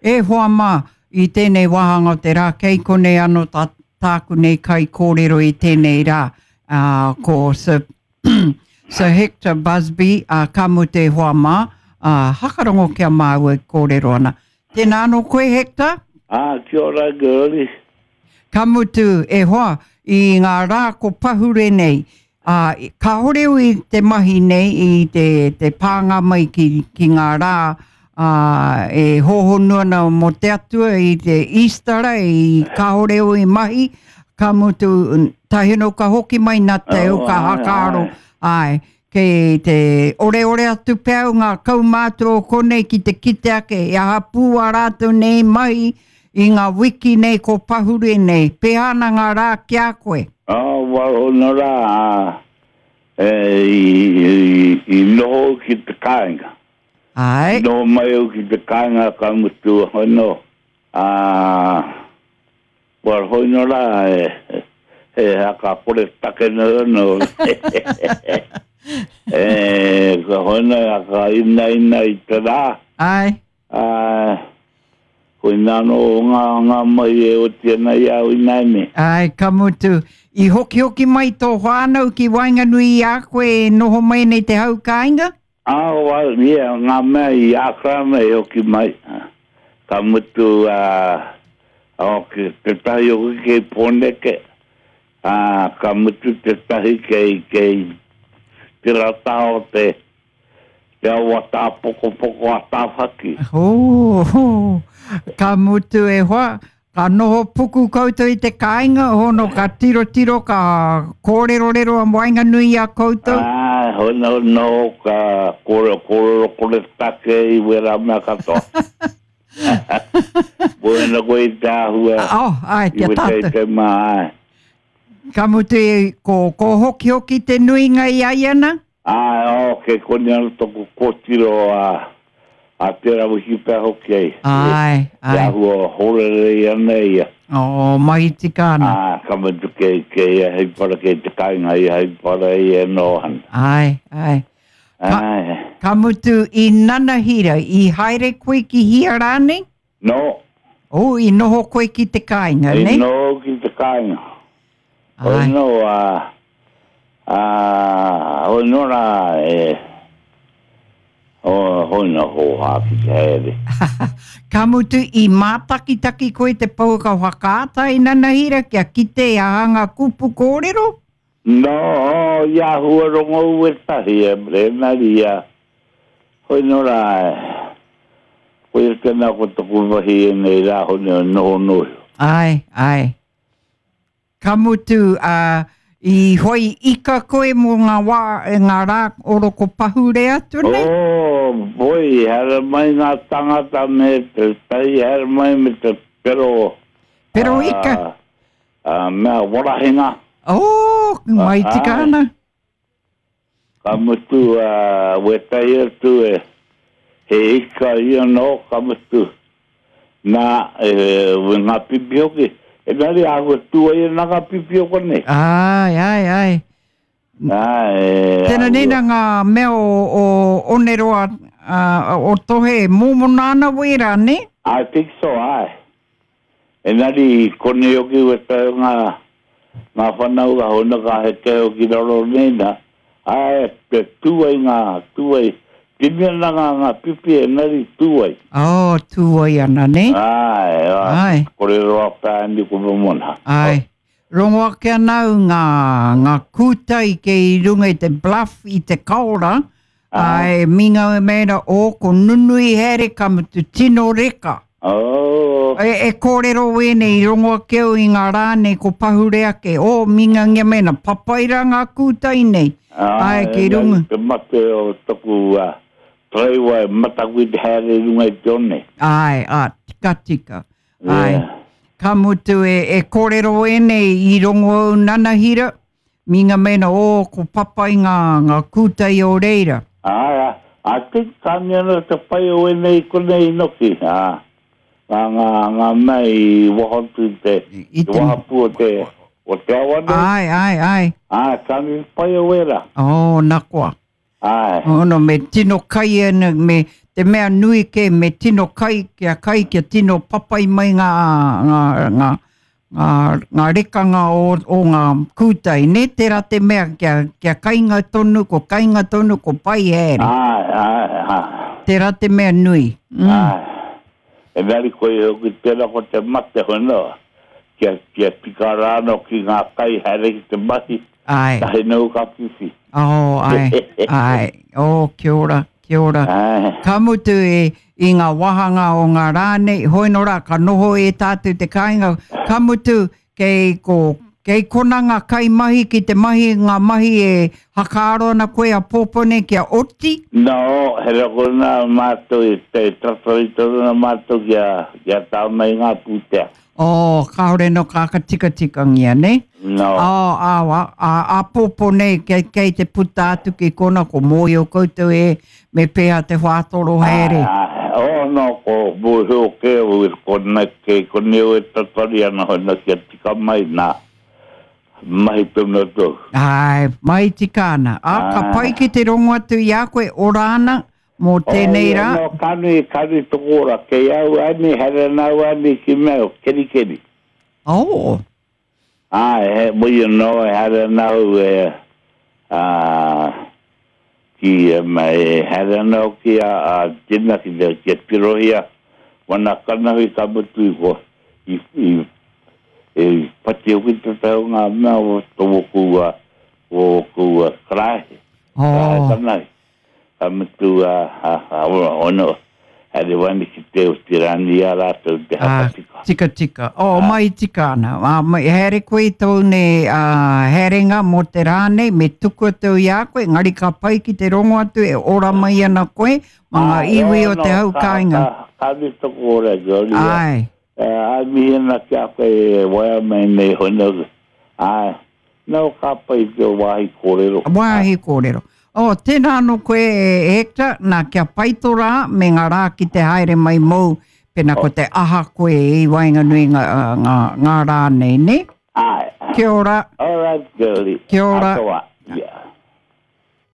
E hoa mā, i tēnei wāhanga o te rā, kei konei anō tā, tāku nei kaikōrero i tēnei rā, ā, ko Sir, Sir Hector Busby, ā, ka mutu e hoa mā, ā, hakarongo ki a māua e kōrero ana. Tēnā anō koe, Hector? Ā, kia ora, girlie. Ka mutu, e hoa, i ngā rā ko pahure nei, ā, kāore au i te mahi nei i te, te pānga mai ki, ki ngā rā, ā, e hōhonu ana mō te Atua i te Īstara, i kāore au i mahi, ka mutu, tahi anō ka hoki mai nā te au ka hakaaro, āe, kei te oreore atu pea au ngā kaumātua o konei ki te kite ake e aha pū ā rātou nei mahi I ngā wiki nei ko pahure nei, pēhea ana ngā rā ki a koe? Oh, well, ono rā, e, i, i, i noho au ki te kāinga. Āe. I noho mai au ki te kāinga ka mutu, ono, ā, well, hoino rā, e, he haka kore take nei ono. e, ka hoino, haka inaina i te rā. Āe. Ā, koinā anō ngā, ngā mahi e oti ana i a au ināianei. Āe, ka mutu, i hokihoki mai tō whānau ki waenganui i a koe e noho mai nei te hau kāinga? Ā, well, yeah, ngā mea i Ākarana i hoki mai. Ka mutu, ā, hoki, tētahi hoki kei Pōneke, ā, ka mutu tētahi kei, kei te rata o te, Te awa tāpokopoko a Tāwhaki. Hō, ka mutu e hoa, ka noho puku koutou i te kāinga, hono ka tirotiro, ka kōrerorero a waenganui i a koutou. Āe, hono noho ka kōrero, kōrero kore take i wērā mea katoa. Koina koe i te āhua, oh, āe, i wete i te mā, āe. Ka mutu, ko, ko hokihoki te nuinga i ai ana? Āe, oh, kei konei anō tōku kōtiro a, a tērā wiki pea hoki ai. Āe, āe. Te āhua horerei ana ia. Oh, mahi tika ana. Ā, ka mutu kei, kei ia hei para, kei te kāinga ia hei para ia e noho ana. Āe, āe. Ka, Āe. ka mutu i nanahira, i haere koe ki hia rānei? No. Oh, i noho koe ki te kāinga, nei? I noho ki te kāinga. Ai. Hoi no, a, a, hoi no rā, e, o, hoi no hōhā ki te haere. Ka mutu, i mātakitaki koe te pouaka whakaata i nanahira kia kite i aha ngā kupu kōrero? No, i āhua rongo wētahi e, engari ia, hoi no rā, koia tēnā ko taku mahi ēnei rā hone o noho noho. Āe, āe. Ka mutu, ā, i whai ika koe mō ngā wā, ngā rā oroko pahure atu nei? Oh, boy, haere mai ngā tangata me te tahi haere mai me te pero. Pero ika? Ā, mea warahinga. Oh, mai tika ana. Ka mutu, ā, wētahi atu e, he ika ia nō, ka mutu, nā, e, ngā pipi hoki. Engari āhua tū ai ana ngā pipi o konei. Āe, āe, āe. Āe, Tēnā nei nā ngā mea o, o Oneroa, ā, o Tohe, mōmona ana wērā, nē? I think so, āe. Engari i konei hoki wetahi o nga nga whanaunga hona ka heke hoki raro nei na, ae te tu ai nga tu ai, tini ana nga nga pipi engari tu ai. Oh, tu ai ana, ne? Ae, ae. Kore roa pea ni ko momona. Ae. Rongo ake ana au ngā, ngā kūtai kei runga i te bluff i te kaora, ā, e minga e mēra, o, ko nunui haere ka mutu tino reka. Oh. E, e kōrero wēnei, i rongo ake au i ngā rā nei ko pahure ake, o, mingangia mēna, papai rā ngā kūtai nei, āe, kei runga. Te mate o taku uh, taraiwa e mataku i te haere i runga i te one. Āe, ā, tika tika. Āe. Ka mutu e, e kōrero ēnei i rongo au nanahira, minga mena, ō, ko papai ngā, ngā kūtai o reira. Āe, I think ka mea ana te pai o ēnei konei inoki, ā, ngā, ngā, ngā mea i waho atu i te, I te te- wahapū o te, o te awa nei. Āe, āe, āe. Āe, ka mea pai o ērā. Ō, na koa. Āe. Ono, me tino kai ana, me te mea nui kē me tino kai, kia kai, kia tino papai mai ngā, ngā, ngā, ngā, ngā rekanga o, o ngā kūtai, nē? Tērā te mea kia, kia kainga tonu, ko kainga tonu, ko pai haere. Āe, āe, āe. Tērā te mea nui. Mm. Āe. Engari koia hoki tērā ko te mate hono, kia, kia tika rānō ki ngā kai haere ki te mahi, Āe. tahi nōu ka whiwhi. Oh, āe, āe. Oh, kia ora, kia ora. Āe. Ka mutu e, i ngā wāhanga o ngā rā nei, hoi nō rā, ka noho e tātou te kāinga, ka mutu kei ko, kei kona ngā kaimahi ki te mahi ngā mahi e hakaaro ana koe a pōpō nei kia oti? No, he rokona mātou i te tatari tonu ana mātou kia, kia tā mai ngā pūtea. Oh, kāore no ka whakatikatikangia, nē? No. Oh, ā, ā, āpōpō nei, kei, kei te puta atu ki kona, ko mōhio koutou e, me pēhea te whātoro haere. Ā, oh, no, ko mōhio kē au i kona, kei konei au e tatari ana hona kia tika mai nā mahi tonu atu au. Āe, mahi tika ana. Ā, ka pai ki te rongo atu i a koe, ora ana, mō tēnei rā. Oh, no, ka nui, ka nui tōku ora. Kei au ani, haere ana au ani ki mea, kerikeri. Oh. Āe, he, well, you know, e haere ana au e, ā, ki, e haere ana au ki a, a Tina ki te, kia tirohia wana kanohi ka mutu i ko, i, i, i whati hoki te tau ngā mea o tōku, o ōku karaehe, karaehe Oh. kanohi. Ka mutu a, a, a ono, haere wani ki te o Tirani i a rātou te Ah, hakatika. tika, tika. Oh, mai tika ana. Ah, mai, haere koe i tōu nei ah, haerenga mō te rā nei, me tuku atu i a koe, engari ka pai ki te rongo atu e ora mai ana koe ma ngā Ah, iwi o ono, te hau ka, kāinga. ka, ka nui toku ora, Gloria. Ai. Eh, ai mihi ana ki a koe e waea mai nei hono. Ai, No, ka pai te wāhi kōrero. Wāhi kōrero. Oh, tēnā anō koe e Hector, nā kia pai tō rā me ngā rā ki te haere mai mōu, pēnā ko te aha koe i waenganui ngā, ngā, ngā rā nei, nē? Āe. Kia ora. All right, girlie. Kia ora. Atoa. Yeah.